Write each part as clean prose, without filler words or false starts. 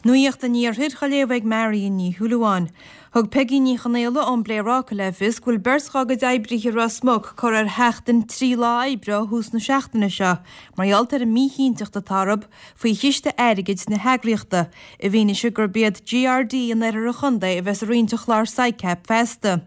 Nuacht an Iarthair á léamh ag Marion Ní Shúilleabháin. Thug Peigí Ní Chonaola ón bPléaráca le fios go bhfuil beirt dhá gcuid oibrithe i Ros Muc curtha ar sheachtain 3 lá oibre ó thús na seachtaine seo mar gheall ar an míchinnteacht atá orthu faoi chiste airgid na heagraíochta i bhfianaise gurb iad GRD in oirthear an chontae a bheas ag roinnt an chláir SICAP feasta.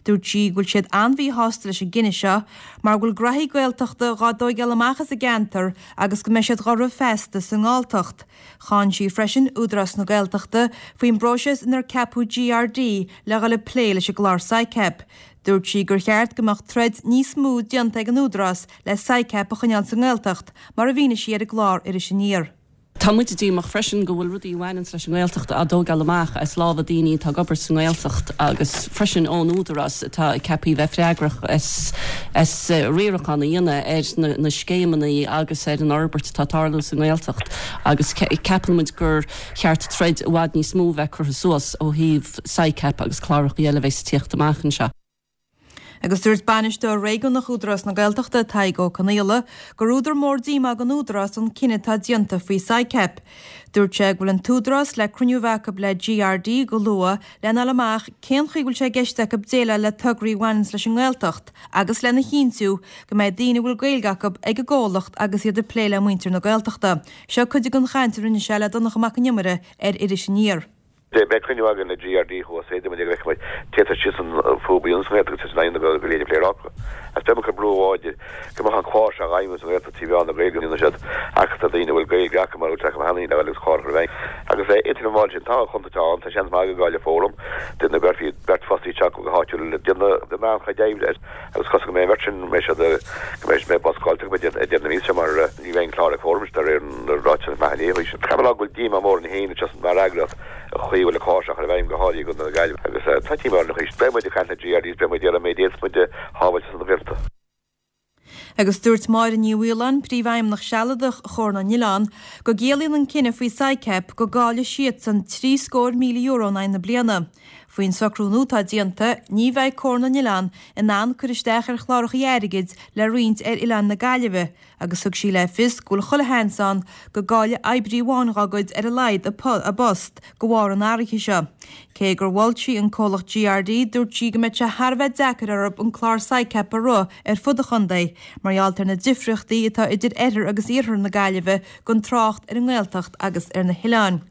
Dúirt sí go bhfuil siad an-mhíshásta leis an gcinneadh seo mar go bhfuil graithí Gaeltachta dhá dtóigeáil amach as an gceantar agus go mbeidh siad dhá rith feasta sa nGalltacht. Cháin sí freisin Údarás na Gaeltachta faoin bpróiseas inar ceapadh GRD le dhul ag plé leis an gclár SICAP. Dúirt sí gur cheart go mbeadh troid níos mó déanta ag an Údarás le SICAP a choinneáil sa nGaeltacht, mar a mhínigh sí ar an gclár Iris Aniar. Tá muid díomách freisin go bhfuil rudaí a bhaineanns leis an nGaeltacht á dtógáil amach as lámha daoine atá ag obair sa nGaeltacht agus freisin ón Údarás atá ceaptha a bheith freagrach as as riarachán a dhéanamh ar na scéimeanna agus ar an fhorbairt atá ag tarlú sa nGaeltacht agus ceapann muid gur cheart troid i bhfad níos mó a bheith curtha suas ó thaobh SICAP agus cláracha eile a bheas ag tíocht amach anseo. Agus dúirt Bainisteoir Réigiúnach Údarás na Gaeltachta, Tadhg Ó Conaola, gur údar mór díomá don Údarás an cinneadh atá déanta faoi SICAP. Dúirt sé go bhfuil an tÚdarás le cruinniú a bheith acu le GRD go luath lena fháil amach cén chaoi a bhfuil sé i gceist acu déileáil le tograí a bhaineanns leis an nGaeltacht agus lena chinntiú go mbeidh daoine a bhfuil Gaeilge acu ag an gcomhlacht agus iad ag plé le muintir na Gaeltachta. Seo cuid den chaint a rinne sé le Donncha Mac an Iomaire ar Iris Aniar. Beidh cruinniú againn le GRD thuas é, déarfaidh muid go bhfeicfidh muid cé tá síos an fúb a dhéanamh sa Ghaeltacht agus an go léir ag Pléaráca. Agus beidh muid ag cur brú láidir go mbeadh an clár seo á fheidhmiú sa Ghaeltacht trí mheán na Gaeilge a dhéanann siad ach tá daoine a bhfuil Gaeilge acu mar a bhfuil sé acu cheana féin le agus clár a chur i bhfeidhm. Agus idir an bháil sin tá an chontae ann, tá seans maith go gcaillfidh Fóram, duine go gcuirfí beirt fostaí isteach go háitiúil le déanamh an-chuid oibre air agus cosúil go mbeidh an bheirt sin, go mbeidh siad, go mbeidh mé boscáilte acu ag deireadh na míosa seo mar ní bheidh an clár ag Fóram de réir na ráiteas maith inné. Caithfidh mé a rá go bhfuil díomá mór orainn féin anseo mar eagraíocht an chaoi a bhfuil an clár seo á chur i bhfeidhm go háirithe i gContae na Gaillimhe agus tá díomá orainn arís. Beidh muid ag caint le GRDs, beidh muid ag iarraidh an méid a fhéadfas muid a shábháilt ar son na Gaeltachta. Agus dúirt Máire Ní Mhaoláin, Príomhfheidhmeannach Sealadach Chomhar na nOileán, go gciallaíonn an cinneadh faoi SICAP go gcaillfidh siadsan €73,000 in aghaidh na bliana. Faoin socrú nua atá déanta, ní bheidh Comhar na nOileán in ann cur isteach ar chláracha airgid le roinnt ar oileáin na Gaillimhe, agus thug sí le fios go bhfuil chuile sheans ann go gcaillfidh oibrí amháin dhá gcuid ar a laghad a bpost de bharr an athraithe seo. Cé gur mhol sí an comhlacht GRD, dúirt sí go mbeadh sé thar a bheith deacair orthu an clár SICAP a rith ar fud an chontae mar gheall ar na difríochtaí atá idir oirthear agus iarthar na Gaillimhe gan trácht ar an nGaeltacht agus ar na hoileáin.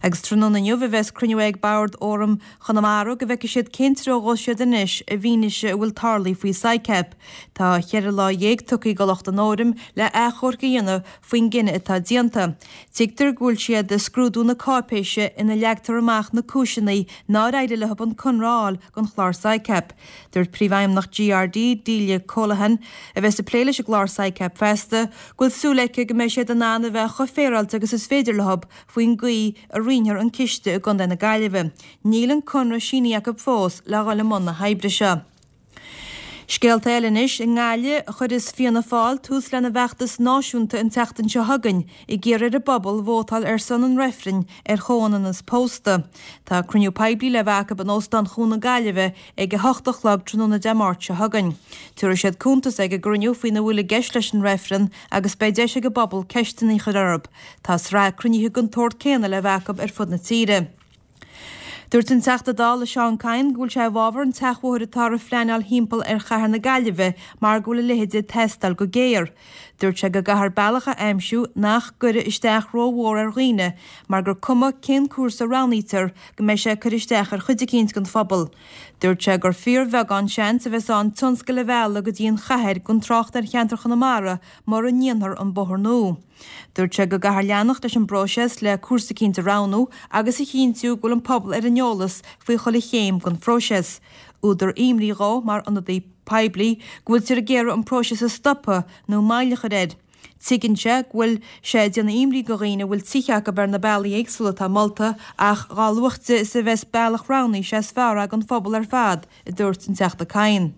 Agus tráthnóna inniu a bheas cruinniú ag Bord Fhóram Chonamara go bhfeicfidh siad cén treo a ghabhfaidh siad anois i bhfianaise a bhfuil tarlaithe faoi SICAP. Tá cheithre lá tugtha do lucht an fhóraim le achomharc a dhéanamh faoin gcinneadh atá déanta. Tuigtear go bhfuil siad ag scrúdú na cáipéise ina leagtar amach na cúiseanna nár éirigh leo an conradh a fháil don chlár SICAP. Dúirt Príomhfheidhmeannach GRD, Delia Colahan, a bheas ag plé leis an gclár SICAP feasta, go bhfuil súil aici go mbeidh siad in ann a bheith chomh féaráilte agus is féidir leo faoin gcaoi a roinnfear an ciste i gContae na Gaillimhe. Níl an conradh sínithe acu fós le dhul i mbun na hoibre seo. Scéalta eile anois, I nGaillimh, chuirfeas Fianna Fáil tús lena bhfeachtas náisiúnta an tseachtain seo chugainn, ag iarraidh ar an bpobal vótáil ar son an reifrinn ar chomhionannas pósta. Tá cruinniú poiblí le bheith acu in Óstán Chuan na Gaillimhe ag a hocht a chlog tráthnóna Dé Máirt seo chugainn. Tabharfaidh siad cuntas ag an gcruinniú faoina bhfuil i gceist leis an reifreann agus beidh deis ag an bpobal ceisteanna a chur orthu. Tá sraith cruinnithe den tsórt céanna le bheith acu ar fud na tíre. Dúirt an Teachta Dála Seán Kyne go bhfuil sé i bhfabhar an tseachbhóthair atáthar a phleanáil thimpeall ar chathair na Gaillimhe mar go bhfuil a leithéid ag teastáil go géar. Dúirt sé go gcaithfear bealach a aimsiú nach gcuirfidh isteach rómhór ar dhaoine mar gur cuma cén cúrsa a roghnaítear go mbeidh sé ag cur isteach ar chuid eicínt den phobal. Dúirt sé gur fíorbheagán seans a bheas ann tionscail a mhealladh go dtí an chathair gan trácht ar cheantar Chonamara mura ndéanfar an bóthar nua. Dúirt sé go gcaithfear leanacht leis an bpróiseas le cúrsa eicínt a roghnú agus a chinntiú go bhfuil an pobal ar an eolas faoi chuile chéim den phróiseas. Údar imní dhó mar ionadaí poiblí go bhfuiltear ag iarraidh an próiseas a stopadh nó moill a chur air. Tuigeann sé go bhfuil sé ag déanamh imní do dhaoine a bhfuil tithe acu ar na bealaí éagsúla atá molta ach dhá luaite is a bheas bealach roghnaithe sé is fearr é don phobal ar fad, a dúirt an Teachta Kyne.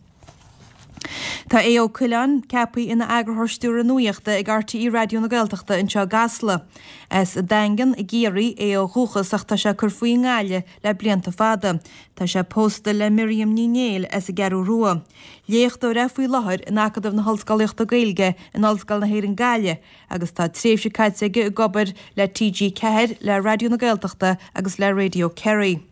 Tá Aodh Ó Coileáin ceaptha ina Eagarthóir Stiúrtha Nuachta ag RTÉ Raidió na Gaeltachta anseo i gCasla. As an Daingean i gCiarraí é ó dhúchas ach tá sé ag cur faoi i nGaillimh le blianta fada. Tá sé pósta le Miriam Ní Néill as an gCeathrú Rua. Léachtóir é faoi láthair in Acadamh na hOllscolaíochta Gaeilge in Ollscoil na hÉireann Gaillimh agus tá tréimhse caite aige ag obair le TG4, le Raidió na Gaeltachta agus le Radio Kerry.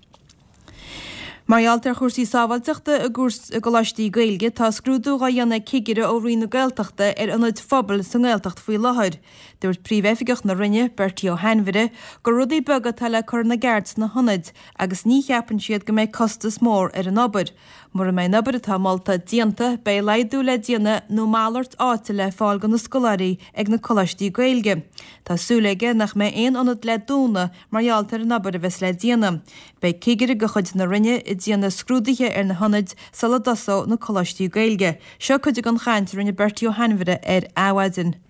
Mar gheall ar chúrsaí sábháilteachta i gcoláistí Gaeilge, tá scrúdú dhá dhéanamh ag cigire ó Roinn na Gaeltachta ar ionaid phobail sa nGaeltacht faoi láthair. Dúirt Príomh-Oifigeach na Roinne, Bertie Ó hAinmhire, gur rudaí beaga atá le cur ina gceart sna hionaid agus ní cheapann siad go mbeidh costas mór ar an obair. Mura mbeidh an obair atá molta déanta, beidh laghdú le déanamh nó malairt áite le fáil do na scoláirí ag na coláistí Gaeilge. Tá súil aige nach mbeidh aon ionad le dúnadh mar gheall ar an obair a bheas le déanamh. Beidh cigire de chuid na Roinne ag déanamh scrúduithe ar na hionaid sula dtosóidh na coláistí Gaeilge. Seo cuid den chaint a rinne Bertie Ó hAinmhire ar Adhmhaidin.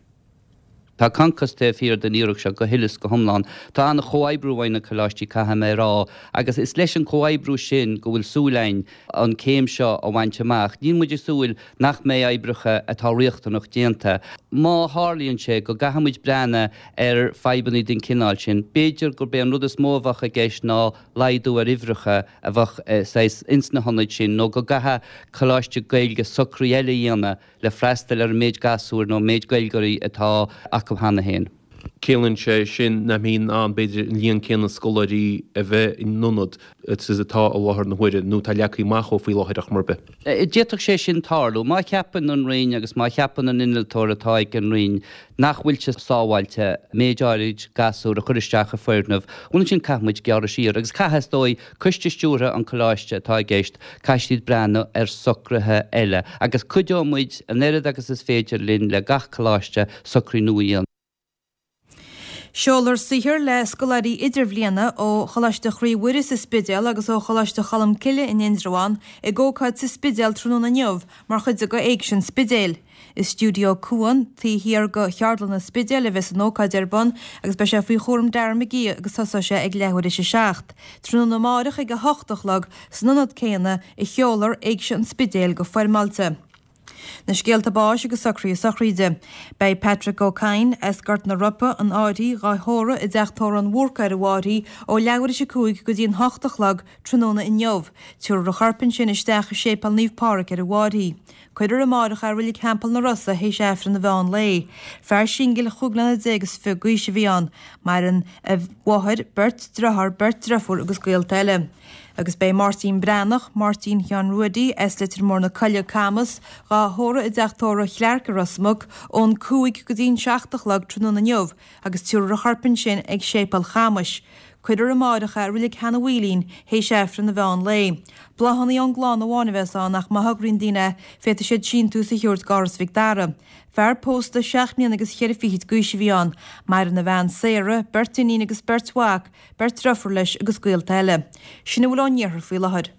Tá Concos taobh thiar den iarracht seo go huile is go hiomlán. Tá an-chomhoibriú uaidh na coláistí, caithfidh mé a rá, agus is leis an chomhoibriú sin go bhfuil súil againn an céim seo a bhaint amach. Níl muid ag súil nach mbeidh oibreacha atá riachtanach déanta. Má tharlaíonn sé go gcaithfidh muid breathnú ar fadhbanna den chineál sin, b'fhéidir gurb é an rud is mó a bheadh i gceist ná laghdú ar uimhreacha a bheadh saghas ins na hionaid sin nó go gcaithfeadh coláiste Gaeilge socruithe eile a dhéanamh le freastal ar an méid gasúir nó an méid Gaeilgeoirí atá acu cheana féin. Ciallaíonn sé sin nach mbeidh in ann, b'fhéidir, an líon céanna scoláirí a bheith in ionad is atá i láthair na huaire, nó atá leagtha amach dhó faoi láthair ar chuma ar bith. D'fhéadfadh sé sin tarlú. Má cheapann an Roinn agus má cheapann an innealtóir atá ag an Roinn nach bhfuil sé sábháilte méid áirid gasúr a chur isteach i foirgneamh, bhuel ansin caithfidh muid gearradh siar. Agus caithfidh, is dóigh, coiste stiúrtha an choláiste atá i gceist, caithfidh siad breathnú ar socruithe eile. Agus cuideoidh muid an oiread agus is féidir linn le gach coláiste socruithe nua a dhéanamh. Seolfar saothar le scoláirí idirbhliana ó Choláiste Chroí Mhuire sa Spidéal agus ó Choláiste Cholmcille in Indreabhán ag ócáid sa Spidéal tráthnóna inniu mar chuid de Éigse an Spidéil. I Stiúideo Cuan, taobh thiar de Cheardlann an Spidéil a bheas an ócáid ar bun agus beidh sé faoi chúram Darren McGee agus tosóidh sé ag leathuair théis a 7. Tráthnóna amáireach ag 8 a chlog san ionad céanna a sheolfar Éigse an Spidéil go foirmeáilte. Na scéalta báis agus socruithe sochraide. Beidh Patrick Ó Cadhain, as Gort na Roipe, an Fhairche, dhá thórramh i dTeach Tórraimh an Bhúrcaigh ar an bhFairche ó leathuair théis 5 go dtí an 8 a chlog tráthnóna inniu. Tabharfar a chorp ansin isteach i Séipéal Naomh Pádraig ar an bhFairche. Cuirfear amáireach é i Reilig Theampall na Rosa théis Aifreann an mheán lae. Fear singil chúig mbliana déag is fiche d'aois a bhí ann. Maireann a mháthair, beirt driotháir, beirt driofúr agus gaolta eile. Agus beidh Máirtín Breathnach, Máirtín Sheáin Ruaidí, as Leitir Móir na Coille, Camas, dhá thórramh i dTeach Tórraimh Chlarke i Ros Muc ón 5 go dtí an 7 a chlog tráthnóna inniu agus tabharfar a chorp ansin ag Séipéal Chamais. Cuirfear amáireach é i Reilig Sheanadh Mhaoilín théis Aifreann an mheán lae. Bláthanna ón gclann amháin a bheas ann ach má thograíonn daoine é, féadfaidh siad síntiús a thabhairt d'Áras Mhic Dara. Fear pósta seacht mbliana agus cheithre fichid d'aois a bhí ann. Maireann a bhean Sarah, beirt iníon agus beirt mhac, Beirt driofúr leis agus gaolta eile. Sin a bhfuil ón iarthar faoi láthair.